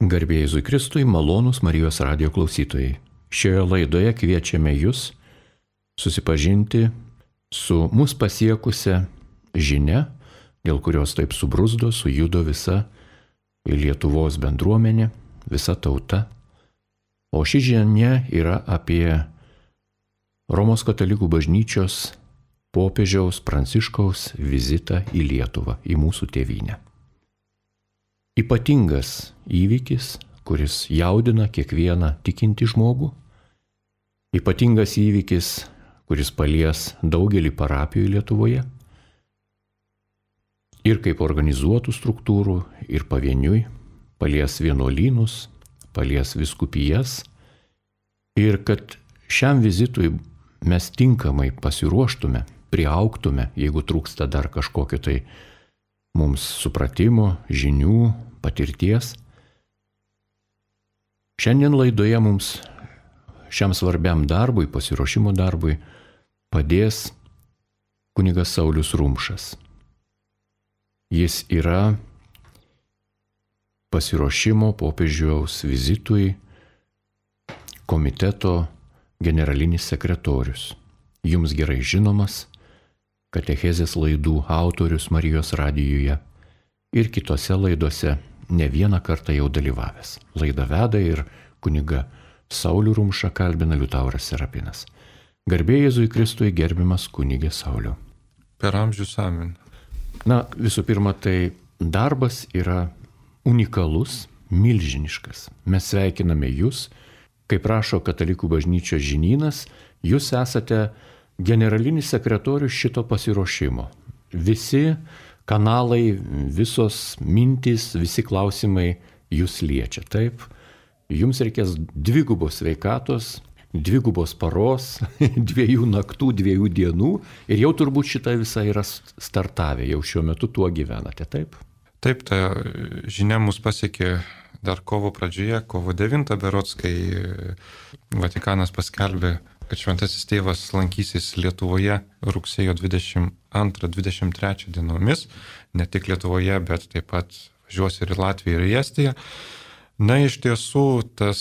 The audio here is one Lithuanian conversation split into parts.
Garbė Jėzui Kristui, malonūs Marijos radijo klausytojai. Šioje laidoje kviečiame jūs susipažinti su mus pasiekusia žinia, dėl kurios taip subruzdo, sujudo visa Lietuvos bendruomenė, visa tauta. O ši žinia yra apie Romos katalikų bažnyčios popiežiaus Pranciškaus vizitą į Lietuvą, į mūsų tėvynę. Ypatingas įvykis, kuris jaudina kiekvieną tikintį žmogų. Ypatingas įvykis, kuris palies daugelį parapijų Lietuvoje. Ir kaip organizuotų struktūrų, ir pavieniui, palies vienuolynus, palies vyskupijas. Ir kad šiam vizitui mes tinkamai pasiruoštume, priaugtume, jeigu trūksta dar kažkokio tai mums supratimo, žinių, patirties. Šiandien laidoje mums šiam svarbiam darbui, pasiruošimo darbui, padės kunigas Saulius Rumšas. Jis yra pasiruošimo popiežiaus vizitui komiteto generalinis sekretorius. Jums gerai žinomas katechezės laidų autorius Marijos radijuje ir kitose laidose ne vieną kartą jau dalyvavęs. Laidą veda ir kuniga Saulių Rumšą kalbina Liutauras Serapinas. Garbė Jėzui Kristui, gerbiamas kunigė Sauliau. Per amžius amen. Visų pirma, tai darbas yra unikalus, milžiniškas. Mes sveikiname jūs, kaip rašo Katalikų bažnyčios žinynas, jūs esate generalinis sekretorius šito pasiruošimo. Visi kanalai, visos mintys, visi klausimai jūs liečia. Taip, jums reikės dvigubos sveikatos, dvigubos paros, 2 naktų, 2 dienų ir jau turbūt šitą visą yra startavę, jau šiuo metu tuo gyvenate, taip? Taip, ta žinia mus pasiekė dar kovo pradžioje, kovo 9 berods, kai Vatikanas paskelbė, kad Šventasis Tėvas lankysis Lietuvoje rugsėjo 22-23 dienomis, ne tik Lietuvoje, bet taip pat važiuos ir į Latviją ir į Estiją. Iš tiesų tas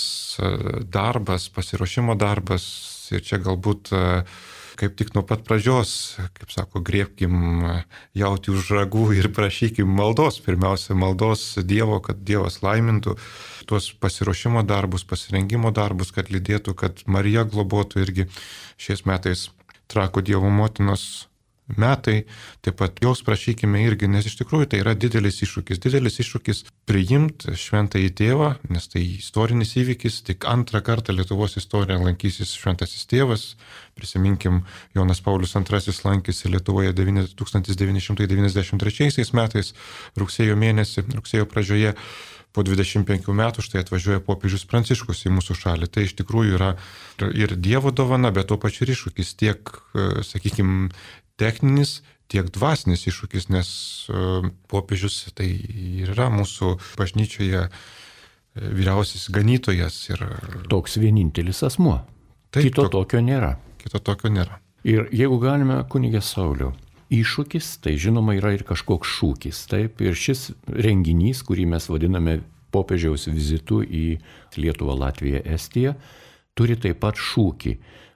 darbas, pasiruošimo darbas, ir čia galbūt kaip tik nuo pat pradžios, kaip sako, griebkim jautį už ragų ir prašykim maldos, pirmiausia maldos Dievo, kad Dievas laimintų tuos pasiruošimo darbus, pasirengimo darbus, kad lydėtų, kad Marija globotų irgi šiais metais Trakų Dievo motinos metai, taip pat jos prašykime irgi, nes iš tikrųjų tai yra didelis iššūkis priimti šventąjį tėvą, nes tai istorinis įvykis, tik antrą kartą Lietuvos istorijoje lankysis šventasis tėvas, prisiminkim, Jonas Paulius II lankėsi Lietuvoje 1993 metais, rugsėjo pradžioje, po 25 metų štai atvažiuoja popiežius Pranciškus į mūsų šalį. Tai iš tikrųjų yra ir Dievo dovana, bet tuo pačiu iššūkis tiek, sakykime, techninis, tiek dvasinis iššūkis, nes popiežius tai yra mūsų bažnyčioje vyriausias ganytojas. Ir toks vienintelis asmuo. Taip, Kito tokio nėra. Ir jeigu galime, kunigė Sauliau, iššūkis, tai žinoma yra ir kažkoks šūkis. Taip, ir šis renginys, kurį mes vadiname popiežiaus vizitu į Lietuvą, Latviją, Estiją, turi taip pat šūkį.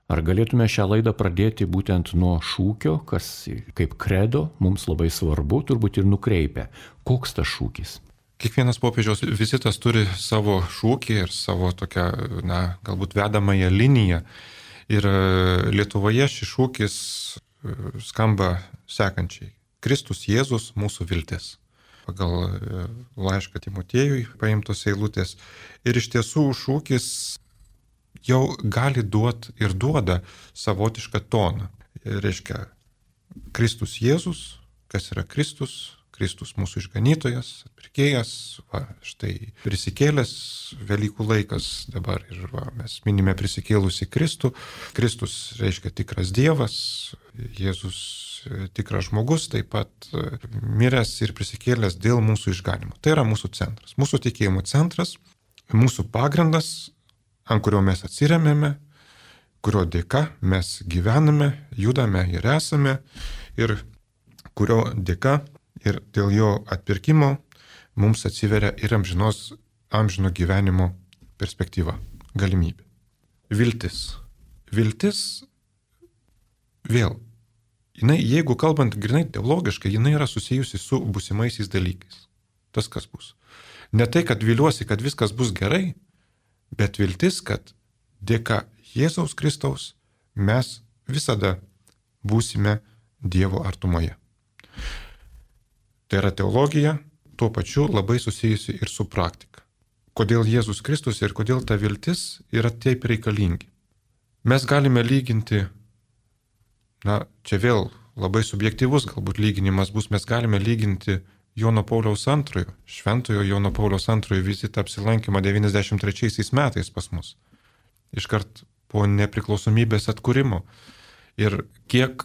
Ar galėtume šią laidą pradėti būtent nuo šūkio, kas kaip kredo mums labai svarbu, turbūt ir nukreipia. Koks tas šūkis? Kiekvienas popiežiaus vizitas turi savo šūkį ir savo tokią, galbūt vedamąją liniją. Ir Lietuvoje šis šūkis skamba sekančiai. Kristus Jėzus mūsų viltis. Pagal laišką Timotiejui paimtos eilutės. Ir iš tiesų šūkis jau gali duoti ir duoda savotišką toną. Reiškia, Kristus Jėzus, kas yra Kristus? Kristus mūsų išganytojas, atpirkėjas, štai prisikėlęs Velykų laikas dabar ir mes minime prisikėlusį Kristų. Kristus reiškia tikras Dievas, Jėzus tikras žmogus, taip pat miręs ir prisikėlęs dėl mūsų išganimo. Tai yra mūsų centras, mūsų tikėjimo centras, mūsų pagrindas, ant kurio mes atsiremėme, kurio dėka mes gyvename, judame ir esame, ir kurio dėka ir dėl jo atpirkimo mums atsiveria ir amžinos amžino gyvenimo perspektyva, galimybė. Viltis. Viltis vėl, jeigu kalbant grinai teologiškai, jinai yra susijusi su būsimaisiais dalykais. Tas kas bus. Ne tai, kad viliuosi, kad viskas bus gerai, bet viltis, kad dėka Jėzaus Kristaus mes visada būsime Dievo artumoje. Tai yra teologija, tuo pačiu labai susijusi ir su praktika. Kodėl Jėzus Kristus ir kodėl ta viltis yra taip reikalingi. Mes galime lyginti, čia vėl labai subjektyvus galbūt lyginimas bus, mes galime lyginti Jono Pauliaus II, šventojo Jono Pauliaus II vizitą apsilankymą 93 metais pas mus. Iškart po nepriklausomybės atkūrimo. Ir kiek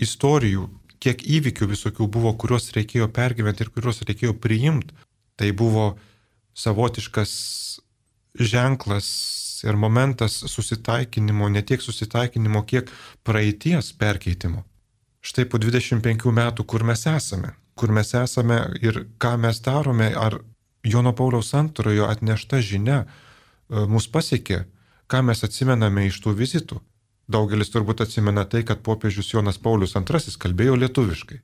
istorijų, kiek įvykių visokių buvo, kuriuos reikėjo pergyventi ir kuriuos reikėjo priimti. Tai buvo savotiškas ženklas ir momentas susitaikinimo, ne tiek susitaikinimo, kiek praeities perkeitimo. Štai po 25 metų, kur mes esame ir ką mes darome, ar Jono Pauliaus II atnešta žinia mus pasiekė, ką mes atsimename iš tų vizitų. Daugelis turbūt atsimena tai, kad popiežius Jonas Paulius II kalbėjo lietuviškai.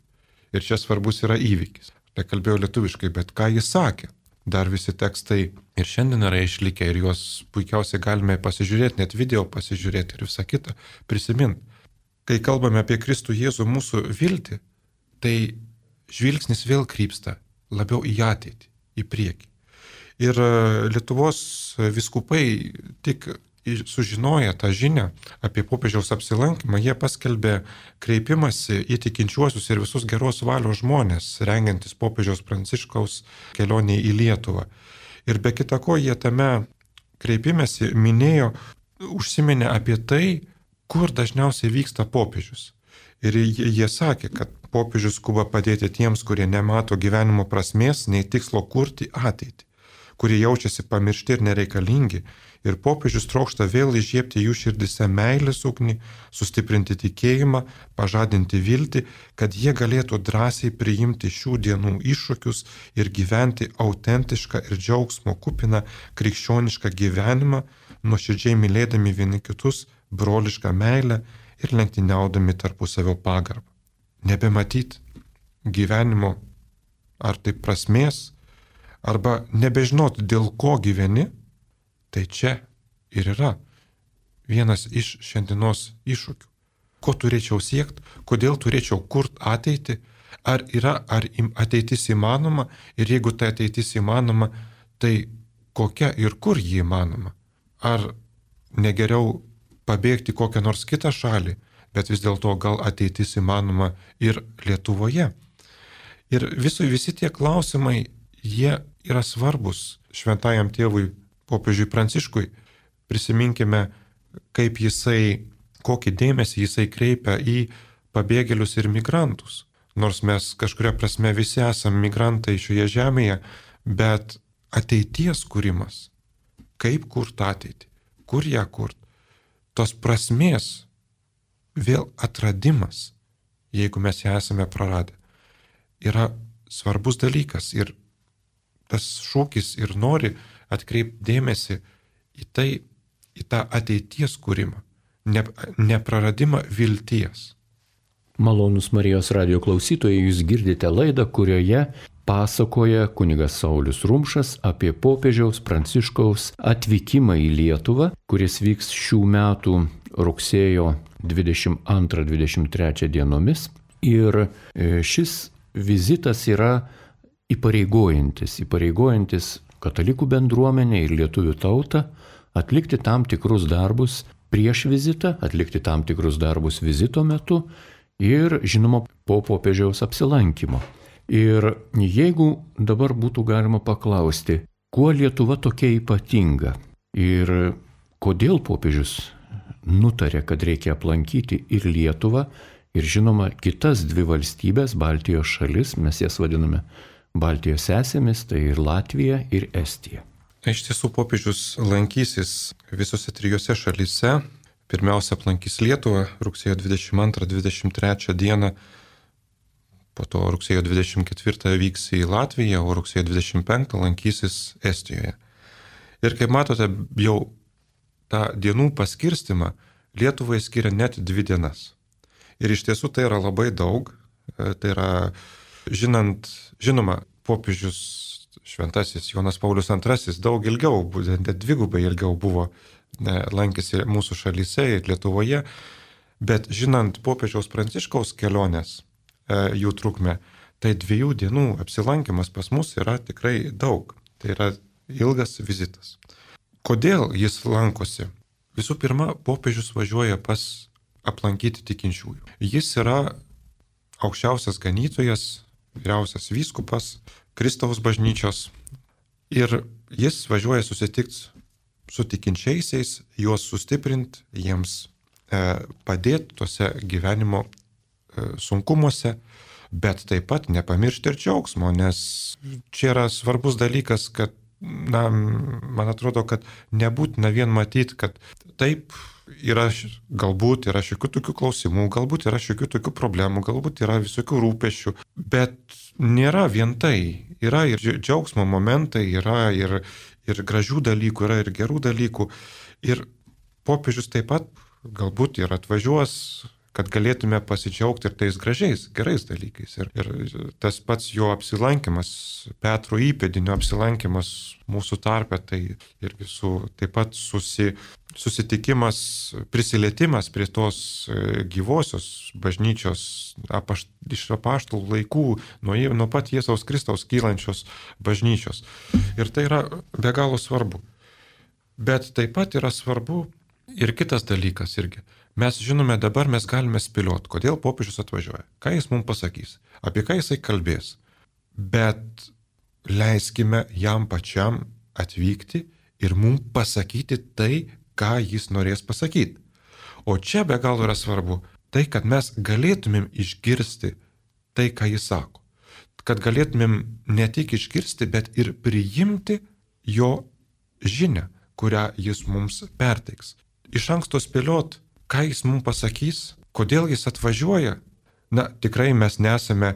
Ir čia svarbus yra įvykis. Tai kalbėjo lietuviškai, bet ką jis sakė? Dar visi tekstai ir šiandien yra išlikę ir juos puikiausiai galime pasižiūrėti, net video pasižiūrėti ir visą kitą prisiminti. Kai kalbame apie Kristų Jėzų mūsų viltį, tai žvilgsnis vėl krypsta labiau į ateitį, į priekį. Ir Lietuvos vyskupai tik sužinoję tą žinią apie popiežiaus apsilankymą, jie paskelbė kreipimąsi į tikinčiuosius ir visus geros valios žmonės, rengiantis popiežiaus Pranciškaus kelionė į Lietuvą. Ir be kita ko, jie tame kreipimęsi užsiminė apie tai, kur dažniausiai vyksta popiežius. Ir jie sakė, kad popiežius skuba padėti tiems, kurie nemato gyvenimo prasmės, nei tikslo kurti ateitį, kurie jaučiasi pamiršti ir nereikalingi. Ir popiežius trokšta vėl įžiebti jų širdise meilės ugnį, sustiprinti tikėjimą, pažadinti viltį, kad jie galėtų drąsiai priimti šių dienų iššūkius ir gyventi autentišką ir džiaugsmo kupiną krikščionišką gyvenimą, nuoširdžiai mylėdami vieni kitus, brolišką meilę ir lenktyniaudami tarpusavio pagarbą. Nebematyti gyvenimo ar tai prasmės, arba nebežinoti, dėl ko gyveni, tai čia ir yra vienas iš šiandienos iššūkių. Ko turėčiau siekti, kodėl turėčiau kurti ateitį, ar ateitis įmanoma ir jeigu ta ateitis įmanoma, tai kokia ir kur ji įmanoma. Ar negeriau pabėgti kokią nors kitą šalį, bet vis dėlto gal ateitis įmanoma ir Lietuvoje. Ir visi tie klausimai, jie yra svarbus šventajam tėvui popiežiui Pranciškui. Prisiminkime, kokį dėmesį jisai kreipia į pabėgėlius ir migrantus. Nors mes kažkuria prasme visi esame migrantai šioje žemėje, bet ateities kūrimas, kaip kurti ateitį, kur ją kurti, tos prasmės vėl atradimas, jeigu mes ją esame praradę, yra svarbus dalykas. Ir tas šūkis ir nori atkreipti dėmesį į tą ateities kūrimą, nepraradimą vilties. Malonūs Marijos radijo klausytojai, jūs girdite laidą, kurioje pasakoja kunigas Saulius Rumšas apie popiežiaus Pranciškaus atvykimą į Lietuvą, kuris vyks šių metų rugsėjo 22-23 dienomis. Ir šis vizitas yra įpareigojantis katalikų bendruomenę ir lietuvių tautą atlikti tam tikrus darbus prieš vizitą, atlikti tam tikrus darbus vizito metu ir, žinoma, po popiežiaus apsilankymo. Ir jeigu dabar būtų galima paklausti, kuo Lietuva tokia ypatinga ir kodėl popiežius nutarė, kad reikia aplankyti ir Lietuvą, ir, žinoma, kitas dvi valstybės, Baltijos šalis, mes jas vadiname Baltijos sesėmis, tai ir Latvija, ir Estija. Iš tiesų popiežius lankysis visose trijose šalyse. Pirmiausia, aplankys Lietuvą rugsėjo 22-23 dieną, po to rugsėjo 24 vyks į Latviją, o rugsėjo 25 lankysis Estijoje. Ir kaip matote, jau tą dienų paskirstimą Lietuvai skiria net 2 dienas. Ir iš tiesų tai yra labai daug. Tai yra, žinoma, popiežius šventasis Jonas Paulius II daug ilgiau, net 2 ilgiau buvo lankėsi mūsų šalyse ir Lietuvoje. Bet žinant popiežiaus Pranciškaus kelionės, jų trukmę, tai 2 dienų apsilankimas pas mus yra tikrai daug. Tai yra ilgas vizitas. Kodėl jis lankosi? Visų pirma, popiežius važiuoja aplankyti tikinčiųjų. Jis yra aukščiausias ganytojas, vyriausias vyskupas Kristaus bažnyčios ir jis važiuoja susitikti su tikinčiaisiais, juos sustiprinti, jiems padėti tuose gyvenimo sunkumuose, bet taip pat nepamiršti ir džiaugsmo, nes čia yra svarbus dalykas, kad, man atrodo, kad nebūtina vien matyti, kad taip galbūt yra šiokių tokių klausimų, galbūt yra šiokių tokių problemų, galbūt yra visokių rūpesčių, bet nėra vien tai. Yra ir džiaugsmo momentai, yra ir gražių dalykų, yra ir gerų dalykų. Ir popiežius taip pat galbūt ir atvažiuos, kad galėtume pasidžiaugti ir tais gražiais, gerais dalykais. Ir tas pats jo apsilankimas, Petro įpėdinio apsilankimas mūsų tarpe, tai irgi taip pat susitikimas, prisilietimas prie tos gyvosios bažnyčios iš apaštalų laikų, nuo pat Jėzaus Kristaus kylančios bažnyčios. Ir tai yra be galo svarbu. Bet taip pat yra svarbu ir kitas dalykas irgi. Mes žinome dabar, mes galime spėlioti, kodėl popiežius atvažiuoja, ką jis mums pasakys, apie ką jisai kalbės. Bet leiskime jam pačiam atvykti ir mums pasakyti tai, ką jis norės pasakyti. O čia be galo yra svarbu tai, kad mes galėtumėm išgirsti tai, ką jis sako. Kad galėtumėm ne tik išgirsti, bet ir priimti jo žinią, kurią jis mums perteiks. Iš anksto spėliot, ką jis mums pasakys, kodėl jis atvažiuoja. Tikrai mes nesame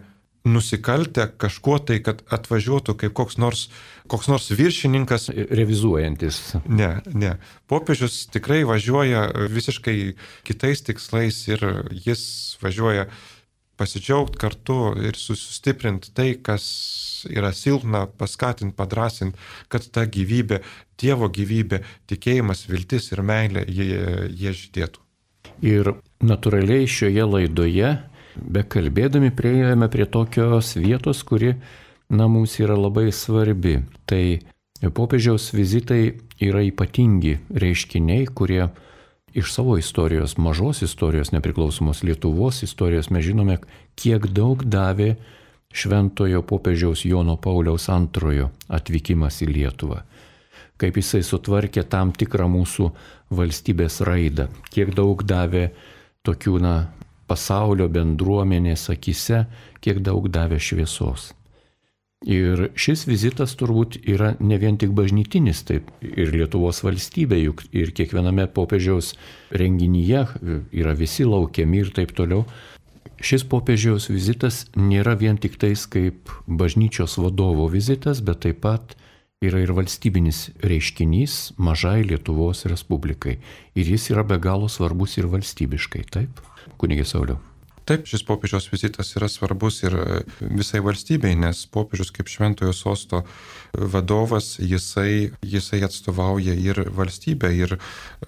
nusikaltę kažkuo tai, kad atvažiuotų kaip koks nors viršininkas. Revizuojantis. Ne. Popiežius tikrai važiuoja visiškai kitais tikslais ir jis važiuoja pasidžiaugti kartu ir sustiprinti tai, kas yra silpna, paskatinti, padrasinti, kad ta gyvybė, Dievo gyvybė, tikėjimas, viltis ir meilė jie žydėtų. Ir natūraliai šioje laidoje, bekalbėdami, priėjome prie tokios vietos, kuri, mums yra labai svarbi. Tai popiežiaus vizitai yra ypatingi reiškiniai, kurie iš savo istorijos, mažos istorijos, nepriklausomos Lietuvos istorijos, mes žinome, kiek daug davė šventojo popiežiaus Jono Pauliaus II atvykimas į Lietuvą. Kaip jisai sutvarkė tam tikrą mūsų valstybės raidą, kiek daug davė tokių, pasaulio bendruomenės akise, kiek daug davė šviesos. Ir šis vizitas turbūt yra ne vien tik bažnytinis, taip ir Lietuvos valstybė, juk ir kiekviename popiežiaus renginyje yra visi laukiami ir taip toliau. Šis popiežiaus vizitas nėra vien tik tais kaip bažnyčios vadovo vizitas, bet taip pat yra ir valstybinis reiškinys mažai Lietuvos Respublikai. Ir jis yra be galo svarbus ir valstybiškai, taip, kunige Sauliau? Taip, šis popiežiaus vizitas yra svarbus ir visai valstybei, nes popiežius kaip šventojo sosto vadovas, jisai atstovauja ir valstybę, ir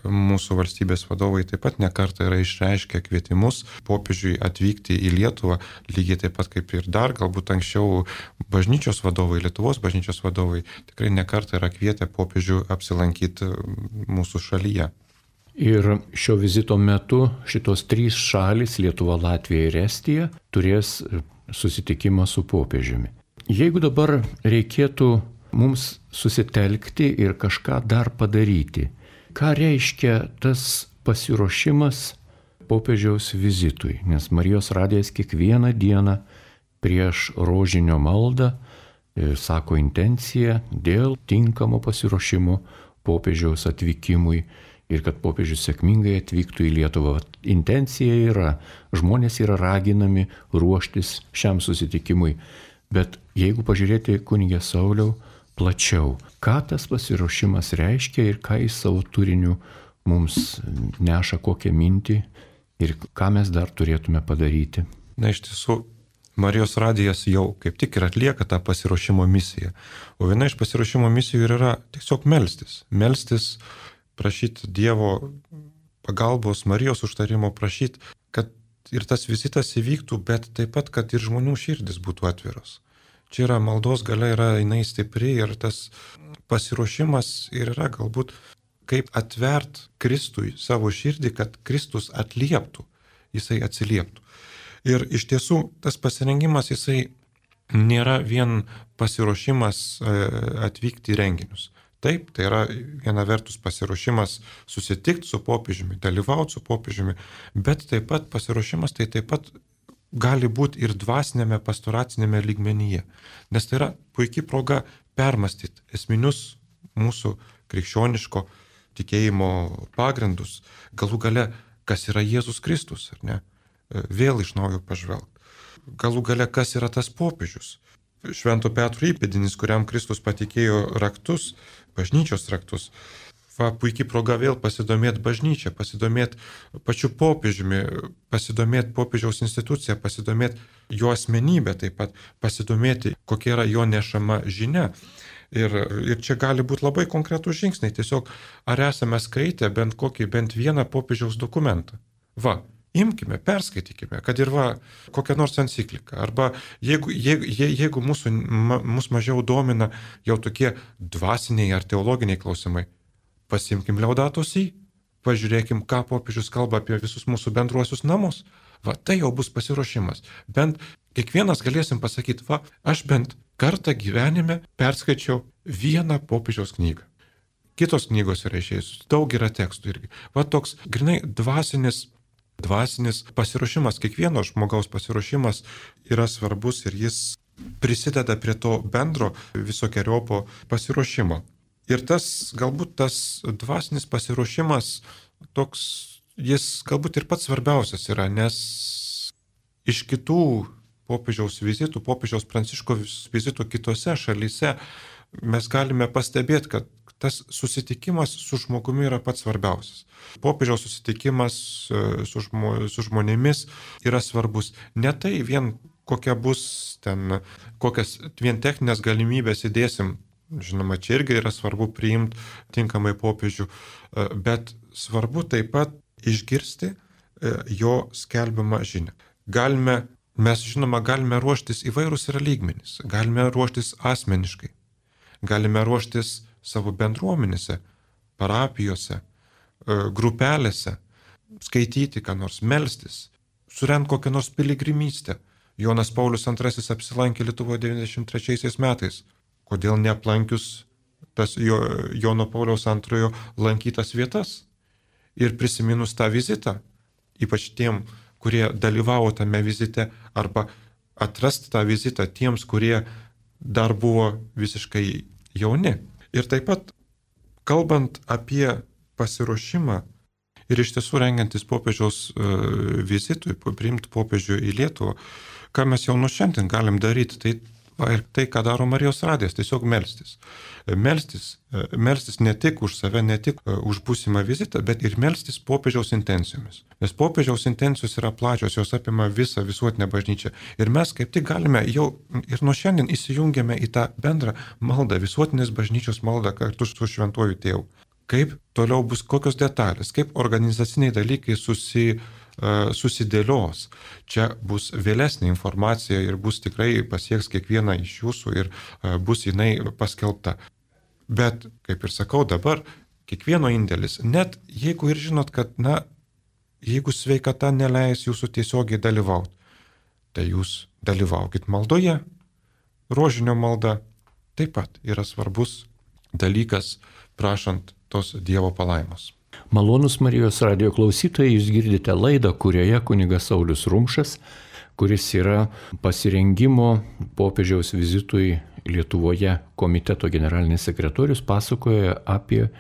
mūsų valstybės vadovai taip pat nekartą yra išreiškę kvietimus popiežiui atvykti į Lietuvą, lygiai taip pat kaip ir dar, galbūt anksčiau bažnyčios vadovai, Lietuvos bažnyčios vadovai tikrai nekartą yra kvietę popiežių apsilankyti mūsų šalyje. Ir šio vizito metu šitos 3 šalys, Lietuva, Latvija ir Estija, turės susitikimą su popiežiumi. Jeigu dabar reikėtų mums susitelkti ir kažką dar padaryti, ką reiškia tas pasiruošimas popiežiaus vizitui? Nes Marijos radijas kiekvieną dieną prieš rožinio maldą sako intenciją dėl tinkamo pasiruošimo popiežiaus atvykimui. Ir kad popiežius sėkmingai atvyktų į Lietuvą. Intencija yra, žmonės yra raginami ruoštis šiam susitikimui. Bet jeigu pažiūrėti, kunige Sauliau, plačiau, ką tas pasiruošimas reiškia ir ką jis savo turiniu mums neša, kokią mintį ir ką mes dar turėtume padaryti. Na, iš tiesų, Marijos radijas jau kaip tik ir atlieka tą pasiruošimo misiją. O viena iš pasiruošimo misijų yra tiesiog melstis. Melstis, prašyti Dievo pagalbos, Marijos užtarimo, prašyti, kad ir tas vizitas įvyktų, bet taip pat, kad ir žmonių širdis būtų atviros. Čia yra maldos galia, jinai stipri ir tas pasiruošimas ir yra galbūt kaip atvert Kristui savo širdį, kad Kristus atlieptų, jisai atsilieptų. Ir iš tiesų tas pasirengimas, jisai nėra vien pasiruošimas atvykti į renginius. Taip, tai yra viena vertus pasiruošimas susitikti su popiežiumi, dalyvauti su popiežiumi, bet taip pat pasiruošimas tai taip pat gali būti ir dvasinėme, pastoracinėme lygmenyje. Nes tai yra puikiai proga permastyti esminius mūsų krikščioniško tikėjimo pagrindus, galų gale, kas yra Jėzus Kristus, ar ne? Vėl iš naujo pažvelgti. Galų gale, kas yra tas popiežius? Švento Petro įpėdinis, kuriam Kristus patikėjo raktus, bažnyčios raktus. Puikiai proga vėl pasidomėti bažnyčią, pasidomėti pačiu popiežiumi, pasidomėti popiežiaus instituciją, pasidomėti jo asmenybę taip pat, pasidomėti, kokia yra jo nešama žinia. Ir čia gali būti labai konkretų žingsniai. Tiesiog, ar esame skaitę bent vieną popiežiaus dokumentą? Imkime, perskaitykime, kad ir kokią nors encikliką. Arba jeigu mus mažiau domina jau tokie dvasiniai ar teologiniai klausimai, pasimkim Laudato Si, pažiūrėkim, ką popiežius kalba apie visus mūsų bendruosius namus. Tai jau bus pasiruošimas. Bent kiekvienas galėsim pasakyti, aš bent kartą gyvenime perskaičiau vieną popiežiaus knygą. Kitos knygos yra išėjusios, daug yra tekstų irgi. Toks grinai dvasinis pasiruošimas, kiekvieno žmogaus pasiruošimas yra svarbus ir jis prisideda prie to bendro visokiojopo pasiruošimo. Ir galbūt tas dvasinis pasiruošimas toks, jis galbūt ir pats svarbiausias yra, nes iš kitų popiežiaus vizitų, popiežiaus Pranciškaus vizitų kitose šalyse mes galime pastebėti, kad tas susitikimas su žmogumi yra pats svarbiausias. Popiežiaus susitikimas su žmonėmis yra svarbus. Ne tai vien kokias vien techninės galimybės įdėsim, žinoma, čia irgi yra svarbu priimti tinkamai popiežių, bet svarbu taip pat išgirsti jo skelbiamą žinią. Mes galime ruoštis įvairūs yra lygmenys, galime ruoštis asmeniškai, galime ruoštis savo bendruomenėse, parapijose, grupelėse, skaityti, ką nors melstis, surengti kokią nors piligrimystę. Jonas Paulius II apsilankė Lietuvoje 93 metais. Kodėl neaplankius tas Jono Pauliaus II lankytas vietas? Ir prisiminus tą vizitą, ypač tiem, kurie dalyvavo tame vizite, arba atrasti tą vizitą tiems, kurie dar buvo visiškai jauni. Ir taip pat, kalbant apie pasiruošimą ir iš tiesų rengiantis popiežiaus vizitui, priimti popiežių į Lietuvą, ką mes jau nuo šiandien galim daryti, tai ką daro Marijos radijas, tiesiog melstis. Melstis ne tik už save, ne tik už būsimą vizitą, bet ir melstis popiežiaus intencijomis. Nes popiežiaus intencijos yra plačios, jos apima visą visuotinę bažnyčią. Ir mes kaip tik galime jau ir nuo šiandien įsijungiame į tą bendrą maldą, visuotinės bažnyčios maldą kartu su Šventuoju Tėvu. Kaip toliau bus, kokios detalės, kaip organizaciniai dalykai susidėlios. Čia bus vėlesnė informacija ir bus tikrai pasieks kiekvieną iš jūsų ir bus jinai paskelbta. Bet, kaip ir sakau dabar, kiekvieno indėlis, net jeigu ir žinot, kad, jeigu sveikata neleis jūsų tiesiogiai dalyvauti, tai jūs dalyvaukit maldoje. Rožinio malda taip pat yra svarbus dalykas, prašant tos Dievo palaimos. Malonūs Marijos radijo klausytojai, jūs girdite laidą, kurioje kunigas Saulius Rumšas, kuris yra pasirengimo popiežiaus vizitui Lietuvoje komiteto generalinis sekretorius, pasakoja apie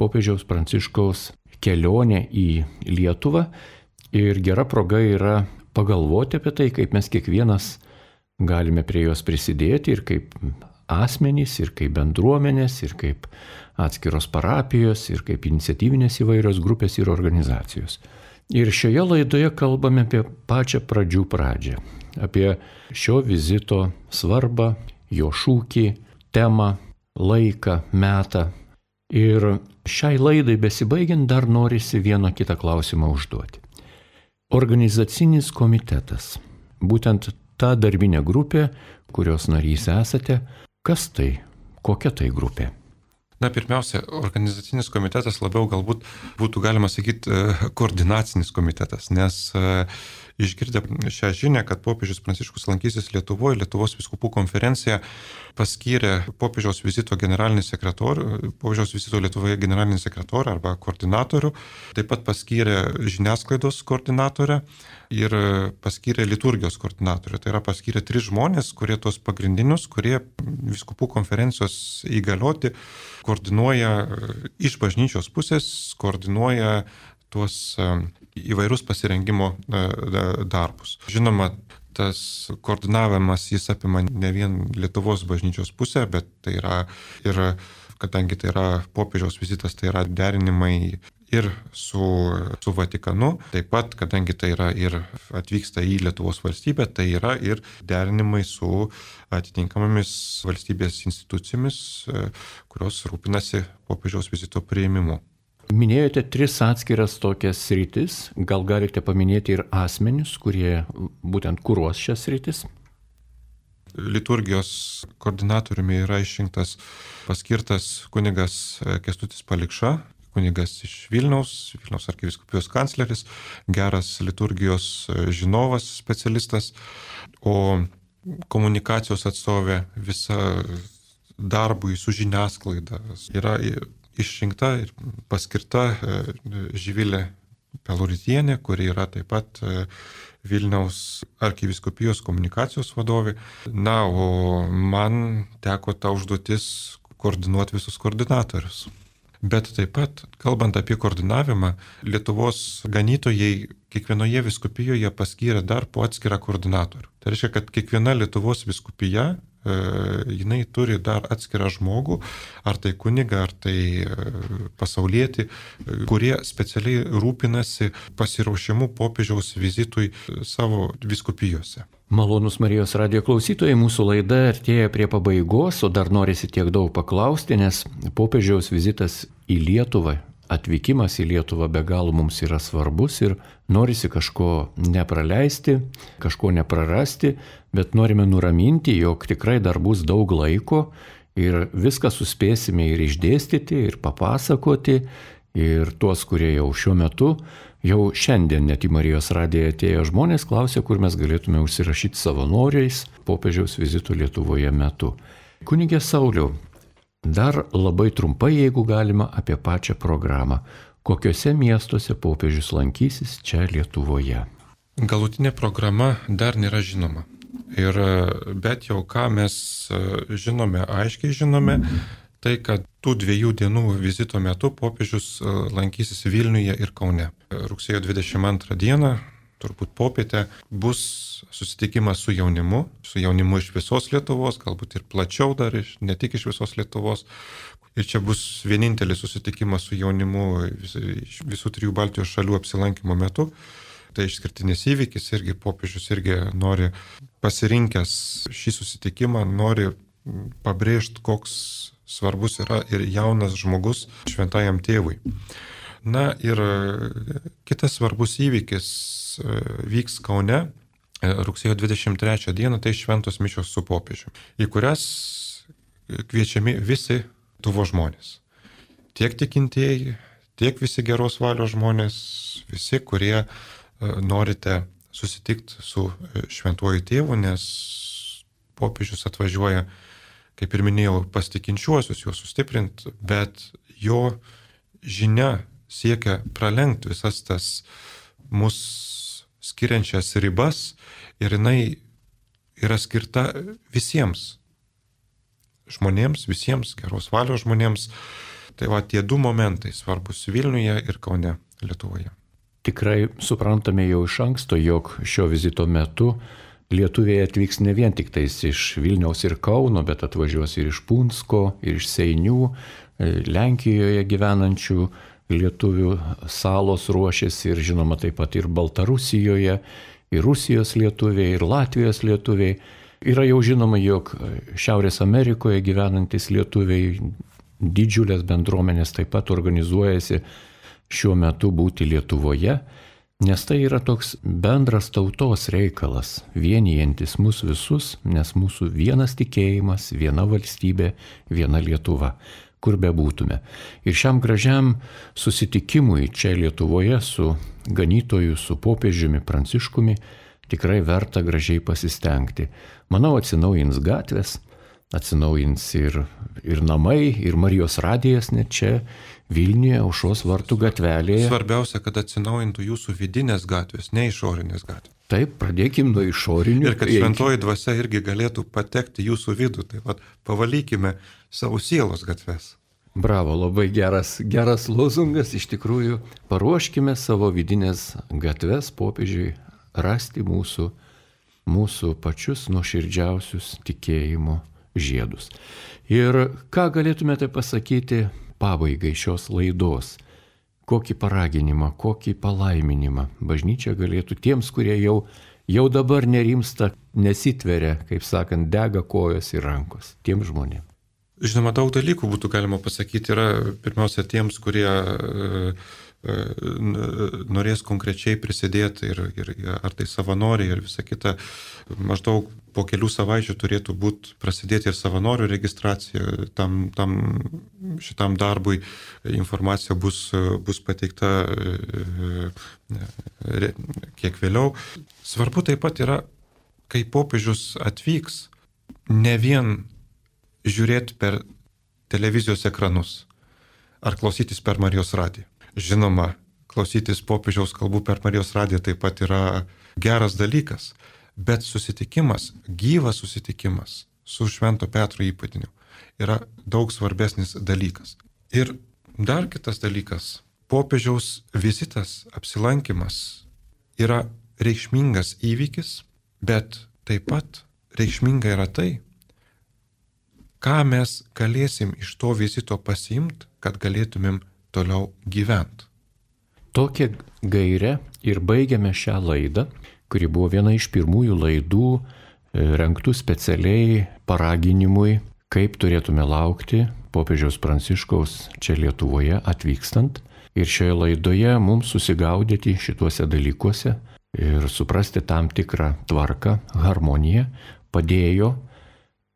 popiežiaus Pranciškaus kelionę į Lietuvą. Ir gera proga yra pagalvoti apie tai, kaip mes kiekvienas galime prie jos prisidėti ir kaip asmenys, ir kaip bendruomenės, ir kaip atskiros parapijos, ir kaip iniciatyvinės įvairios grupės ir organizacijos. Ir šioje laidoje kalbame apie pačią pradžių pradžią, apie šio vizito svarbą, jo šūkį, temą, laiką, metą. Ir šiai laidai besibaigiant dar norisi vieną kitą klausimą užduoti. Organizacinis komitetas, būtent ta darbinė grupė, kurios narys esate, kas tai, kokia tai grupė? Na, pirmiausia, organizacinis komitetas labiau galbūt būtų galima sakyti koordinacinis komitetas, nes išgirdę šią žinią, kad popiežius Pranciškus lankysis Lietuvoje, Lietuvos vyskupų konferencija paskyrė popiežiaus vizito generalinį sekretorių, popiežiaus vizito Lietuvoje generalinį sekretorių arba koordinatorių, taip pat paskyrė žiniasklaidos koordinatorę ir paskyrė liturgijos koordinatorių. Tai yra paskyrė 3 žmonės, kurie tos pagrindinius, kurie vyskupų konferencijos įgalioti, koordinuoja iš bažnyčios pusės, koordinuoja tuos įvairius pasirengimo darbus. Žinoma, tas koordinavimas jis apima ne vien Lietuvos bažnyčios pusę, bet tai yra ir, kadangi tai yra popiežiaus vizitas, tai yra derinimai ir su Vatikanu, taip pat, kadangi tai yra ir atvyksta į Lietuvos valstybę, tai yra ir derinimai su atitinkamomis valstybės institucijomis, kurios rūpinasi popiežiaus vizito priėmimu. Minėjote 3 atskiras tokias sritis, gal galite paminėti ir asmenius, kurie būtent kuruos šias sritis? Liturgijos koordinatoriumi yra išrinktas paskirtas kunigas Kęstutis Palikša, kunigas iš Vilniaus arkivyskupijos kancleris, geras liturgijos žinovas, specialistas, o komunikacijos atstovė visa darbui su žiniasklaida yra išrinkta ir paskirta Živilė Peluritienė, kuri yra taip pat Vilniaus arkivyskupijos komunikacijos vadovė. Na, o man teko ta užduotis koordinuoti visus koordinatorius. Bet taip pat, kalbant apie koordinavimą, Lietuvos ganytojai kiekvienoje vyskupijoje paskyrė dar po atskirą koordinatorių. Tai reiškia, kad kiekviena Lietuvos vyskupija jinai turi dar atskirą žmogų, ar tai kunigą, ar tai pasaulietį, kurie specialiai rūpinasi pasiruošimu popiežiaus vizitui savo vyskupijose. Malonus Marijos radijo klausytojai, mūsų laida artėja prie pabaigos, o dar norisi tiek daug paklausti, nes popiežiaus vizitas į Lietuvą, atvykimas į Lietuvą be galo mums yra svarbus ir norisi kažko nepraleisti, kažko neprarasti, bet norime nuraminti, jog tikrai dar bus daug laiko ir viską suspėsime ir išdėstyti, ir papasakoti, ir tuos, kurie jau šiuo metu, jau šiandien net į Marijos radiją atėję žmonės klausia, kur mes galėtume užsirašyti savanoriais popiežiaus vizito Lietuvoje metu. Kunige Sauliau, dar labai trumpai, jeigu galima, apie pačią programą. Kokiuose miestuose popiežius lankysis čia Lietuvoje? Galutinė programa dar nėra žinoma. Bet jau ką mes žinome, aiškiai žinome, tai kad tų 2 dienų vizito metu popiežius lankysis Vilniuje ir Kaune. Rugsėjo 22 dieną, turbūt popietę, bus susitikimas su jaunimu iš visos Lietuvos, galbūt ir plačiau dar, ne tik iš visos Lietuvos. Ir čia bus vienintelis susitikimas su jaunimu visų 3 Baltijos šalių apsilankimo metu. Tai išskirtinis įvykis, irgi popiežius irgi nori pasirinkęs šį susitikimą, nori pabrėžti, koks svarbus yra ir jaunas žmogus šventajam tėvui. Na ir kitas svarbus įvykis vyks Kaune rugsėjo 23 dieną, tai šventos mišios su popiežiu, į kurias kviečiami visi Lietuvos žmonės. Tiek tikintieji, tiek visi geros valios žmonės, visi, kurie norite susitikti su šventuoju tėvu, nes popiežius atvažiuoja, kaip ir minėjau, pas tikinčiuosius, juos sustiprinti, bet jo žinia siekia pralenkti visas tas mus skiriančias ribas ir jinai yra skirta visiems žmonėms, visiems geros valios žmonėms. Tai va tie 2 momentai svarbus Vilniuje ir Kaune, Lietuvoje. Tikrai suprantame jau iš anksto, jog šio vizito metu lietuviai atvyks ne vien tik tais iš Vilniaus ir Kauno, bet atvažiuos ir iš Punsko, ir iš Seinių, Lenkijoje gyvenančių lietuvių salos ruošiasi ir žinoma taip pat ir Baltarusijoje, ir Rusijos lietuviai, ir Latvijos lietuviai. Yra jau žinoma, jog Šiaurės Amerikoje gyvenantis lietuviai didžiulės bendruomenės taip pat organizuojasi šiuo metu būti Lietuvoje, nes tai yra toks bendras tautos reikalas, vienijantis mus visus, nes mūsų vienas tikėjimas, viena valstybė, viena Lietuva, kur bebūtume. Ir šiam gražiam susitikimui čia Lietuvoje su ganytoju, su popiežiumi Pranciškumi tikrai verta gražiai pasistengti. Manau, atsinaujins gatvės, atsinaujins ir namai, ir Marijos radijas net čia Vilniuje, Aušros vartų gatvelėje. Svarbiausia, kad atsinaujintų jūsų vidinės gatvės, ne išorinės gatvės. Taip, pradėkim nuo išorinių. Ir kad šventoji dvasia irgi galėtų patekti jūsų vidų. Taip pat pavalykime savo sielos gatves. Bravo, labai geras lozungas. Iš tikrųjų, paruoškime savo vidinės gatves popiežiui rasti mūsų pačius nuoširdžiausius tikėjimo žiedus. Ir ką galėtumėte pasakyti pabaigai šios laidos? Kokį paraginimą, kokį palaiminimą bažnyčia galėtų tiems, kurie jau dabar nerimsta, nesitveria, kaip sakant, dega kojos ir rankos, tiems žmonėms? Žinoma, daug dalykų būtų galima pasakyti. Yra pirmiausia tiems, kurie norės konkrečiai prisidėti ir ar tai savanoriai ir visa kita. Maždaug po kelių savaičių turėtų prasidėti ir savanorių registracija šitam darbui. Informacija bus pateikta kiek vėliau. Svarbu taip pat yra, kai popiežius atvyks, ne vien žiūrėti per televizijos ekranus ar klausytis per Marijos radiją. Žinoma, klausytis popiežiaus kalbų per Marijos radiją taip pat yra geras dalykas, bet susitikimas, gyvas susitikimas su Švento Petro įpėdiniu yra daug svarbesnis dalykas. Ir dar kitas dalykas, popiežiaus vizitas, apsilankimas yra reikšmingas įvykis, bet taip pat reikšminga yra tai, ką mes galėsim iš to vizito pasiimti, kad galėtumėm toliau gyventi. Tokią gairę ir baigiame šią laidą, kuri buvo viena iš pirmųjų laidų rengtų specialiai paraginimui, kaip turėtume laukti popiežiaus Pranciškaus čia Lietuvoje atvykstant. Ir šioje laidoje mums susigaudyti šituose dalykuose ir suprasti tam tikrą tvarką, harmoniją padėjo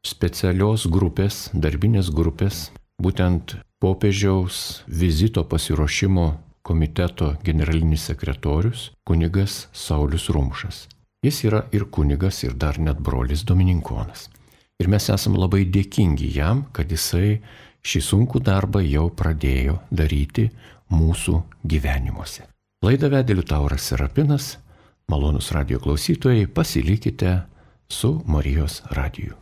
specialios grupės, darbinės grupės, būtent popiežiaus vizito pasiruošimo komiteto generalinis sekretorius kunigas Saulius Rumšas. Jis yra ir kunigas, ir dar net brolis dominikonas. Ir mes esam labai dėkingi jam, kad jisai šį sunkų darbą jau pradėjo daryti mūsų gyvenimuose. Laidą vedė Liutauras Serapinas. Malonus radijo klausytojai, pasilikite su Marijos radiju.